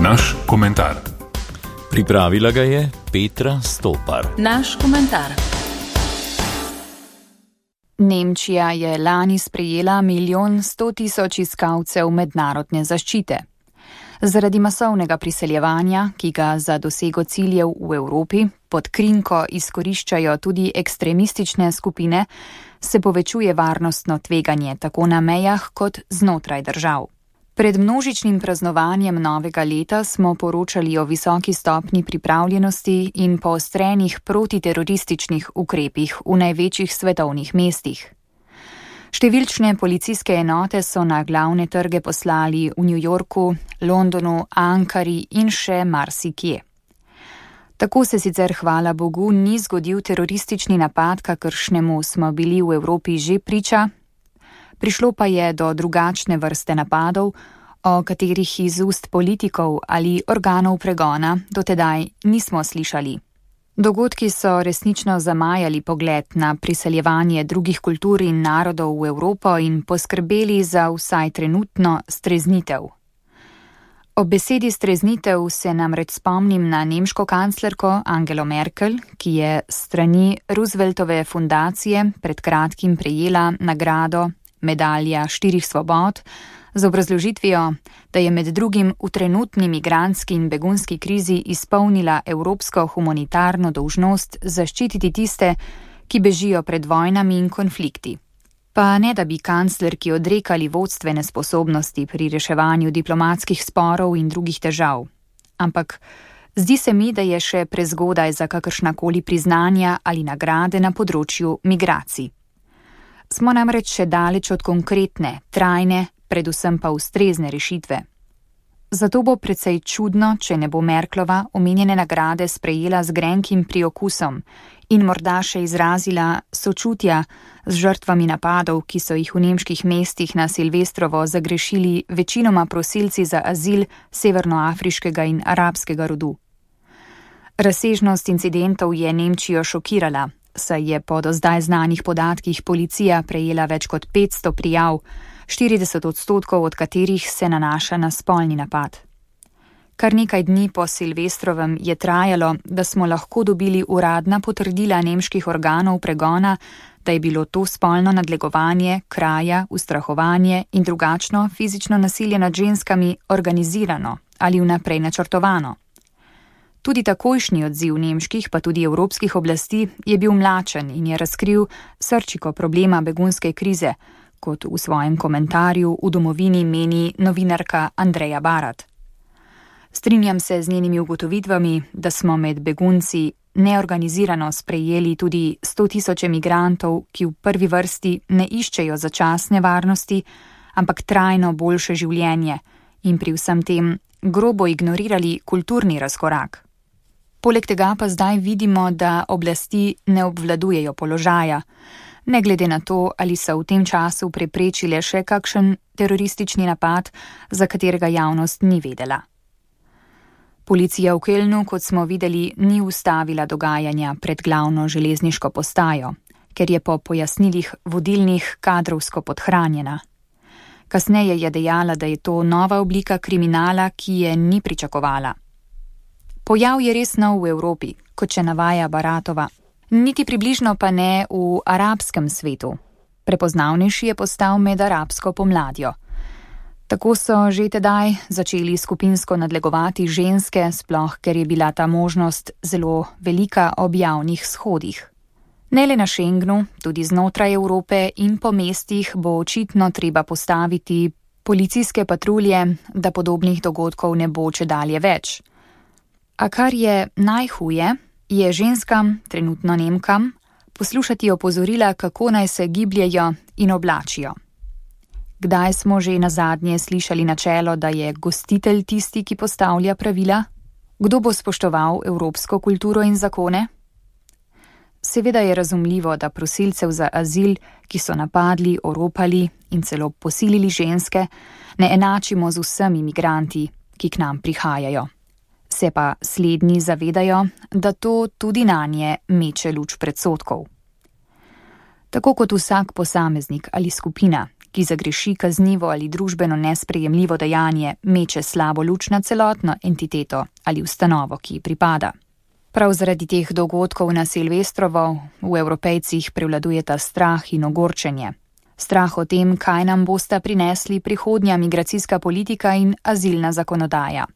Naš komentar. Pripravila ga je Petra Stopar. Naš komentar. Nemčija je lani sprejela 1.100.000 iskalcev mednarodne zaščite. Zaradi masovnega priseljevanja, ki ga za dosego ciljev v Evropi pod krinko izkoriščajo tudi ekstremistične skupine, se povečuje varnostno tveganje tako na mejah kot znotraj držav. Pred množičnim praznovanjem novega leta smo poročali o visoki stopnji pripravljenosti in poostrenih protiterorističnih ukrepih v največjih svetovnih mestih. Številčne policijske enote so na glavne trge poslali v New Yorku, Londonu, Ankari in še marsikje. Tako se sicer hvala Bogu ni zgodil teroristični napad, kakršnemu smo bili v Evropi že priča. Prišlo pa je do drugačne vrste napadov, o katerih iz ust politikov ali organov pregona dotedaj nismo slišali. Dogodki so resnično zamajali pogled na priseljevanje drugih kultur in narodov v Evropo in poskrbeli za vsaj trenutno streznitev. Ob besedi streznitev se namreč spomnim na nemško kanclerko Angelo Merkel, ki je s strani Rooseveltove fundacije pred kratkim prejela nagrado Medalja 4 svobod z obrazložitvijo, da je med drugim v trenutni migrantski in begunski krizi izpolnila evropsko humanitarno dolžnost zaščititi tiste, ki bežijo pred vojnami in konflikti. Pa ne da bi kanclerki odrekali vodstvene sposobnosti pri reševanju diplomatskih sporov in drugih težav. Ampak zdi se mi, da je še prezgodaj za kakršnakoli priznanja ali nagrade na področju migracij. Smo namreč še daleč od konkretne, trajne, predvsem pa ustrezne rešitve. Zato bo precej čudno, če ne bo Merklova omenjene nagrade sprejela z grenkim priokusom in morda še izrazila sočutja z žrtvami napadov, ki so jih v nemških mestih na Silvestrovo zagrešili večinoma prosilci za azil severnoafriškega in arabskega rodu. Razsežnost incidentov je Nemčijo šokirala, saj je po do zdaj znanih podatkih policija prejela več kot 500 prijav, 40% od katerih se nanaša na spolni napad. Kar nekaj dni po Silvestrovem je trajalo, da smo lahko dobili uradna potrdila nemških organov pregona, da je bilo to spolno nadlegovanje, kraja, ustrahovanje in drugačno fizično nasilje nad ženskami organizirano ali vnaprej načrtovano. Tudi takojšnji odziv nemških pa tudi evropskih oblasti je bil mlačen in je razkril srčiko problema begunske krize, kot v svojem komentarju v Domovini meni novinarka Andreja Barat. Strinjam se z njenimi ugotovitvami, da smo med begunci neorganizirano sprejeli tudi 100.000 migrantov, ki v prvi vrsti ne iščejo začasne varnosti, ampak trajno boljše življenje in pri vsem tem grobo ignorirali kulturni razkorak. Poleg tega pa zdaj vidimo, da oblasti ne obvladujejo položaja, ne glede na to, ali so v tem času preprečile še kakšen teroristični napad, za katerega javnost ni vedela. Policija v Kölnu, kot smo videli, ni ustavila dogajanja pred glavno železniško postajo, ker je po pojasnilih vodilnih kadrovsko podhranjena. Kasneje je dejala, da je to nova oblika kriminala, ki je ni pričakovala. Pojav je res nov v Evropi, kot še navaja Baratova. Niti približno pa ne v arabskem svetu. Prepoznavnejši je postal med arabsko pomladjo. Tako so že tedaj začeli skupinsko nadlegovati ženske, sploh ker je bila ta možnost zelo velika ob javnih shodih. Ne le na Schengenu, tudi znotraj Evrope in po mestih bo očitno treba postaviti policijske patrulje, da podobnih dogodkov ne bo čedalje več. A kar je najhuje, je ženskam, trenutno Nemkam, poslušati opozorila, kako naj se gibljejo in oblačijo. Kdaj smo že nazadnje slišali načelo, da je gostitelj tisti, ki postavlja pravila? Kdo bo spoštoval evropsko kulturo in zakone? Seveda je razumljivo, da prosilcev za azil, ki so napadli, oropali in celo posilili ženske, ne enačimo z vsemi migranti, ki k nam prihajajo. Se pa slednji zavedajo, da to tudi nanje meče luč predsodkov. Tako kot vsak posameznik ali skupina ki zagreši kaznivo ali družbeno nesprejemljivo dejanje, meče slabo luč na celotno entiteto ali ustanovo, ki ji pripada. Prav zaradi teh dogodkov na Silvestrovo v Evropejcih prevladujeta strah in ogorčenje. Strah o tem, kaj nam bosta prinesli prihodnja migracijska politika in azilna zakonodaja.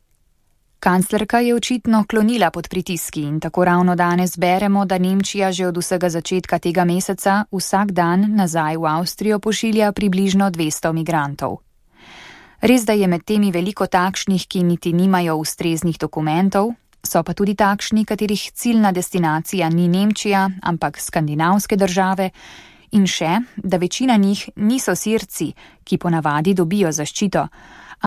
Kanclerka je očitno klonila pod pritiski in tako ravno danes beremo, da Nemčija že od vsega začetka tega meseca vsak dan nazaj v Avstrijo pošilja približno 200 migrantov. Res, da je med temi veliko takšnih, ki niti nimajo ustreznih dokumentov, so pa tudi takšni, katerih ciljna destinacija ni Nemčija, ampak skandinavske države, in še, da večina njih niso Sirci, ki ponavadi dobijo zaščito,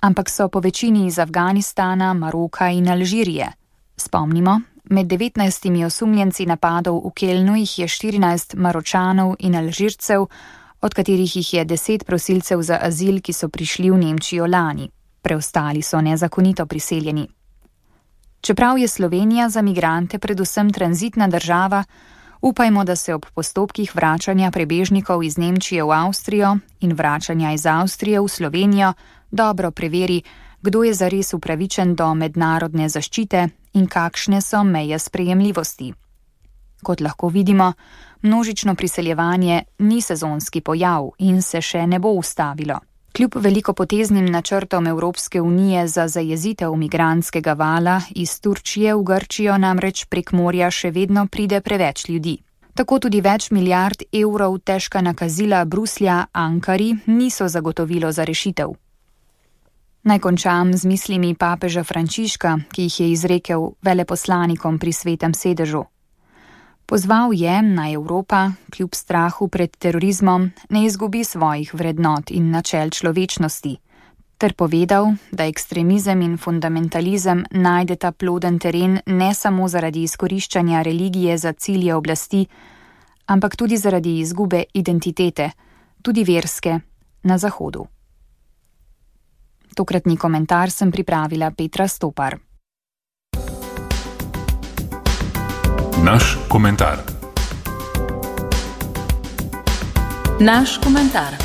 ampak so po večini iz Afganistana, Maroka in Alžirije. Spomnimo, med 19 osumljenci napadov v Kelnu jih je 14 Maročanov in Alžircev, od katerih jih je 10 prosilcev za azil, ki so prišli v Nemčijo lani. Preostali so nezakonito priseljeni. Čeprav je Slovenija za migrante predvsem tranzitna država, upajmo, da se ob postopkih vračanja prebežnikov iz Nemčije v Avstrijo in vračanja iz Avstrije v Slovenijo dobro preveri, kdo je zares upravičen do mednarodne zaščite in kakšne so meje sprejemljivosti. Kot lahko vidimo, množično priseljevanje ni sezonski pojav in se še ne bo ustavilo. Kljub velikopoteznim načrtom Evropske unije za zajezitev migrantskega vala iz Turčije v Grčijo namreč prek morja še vedno pride preveč ljudi. Tako tudi več milijard evrov težka nakazila Bruslja Ankari niso zagotovilo za rešitev. Naj končam z mislimi papeža Frančiška, ki jih je izrekel veleposlanikom pri Svetem sedežu. Pozval je, naj Evropa, kljub strahu pred terorizmom, ne izgubi svojih vrednot in načel človečnosti, ter povedal, da ekstremizem in fundamentalizem najdeta ploden teren ne samo zaradi izkoriščanja religije za cilje oblasti, ampak tudi zaradi izgube identitete, tudi verske, na Zahodu. Tokratni komentar sem pripravila Petra Stopar. Naš komentar. Naš komentar.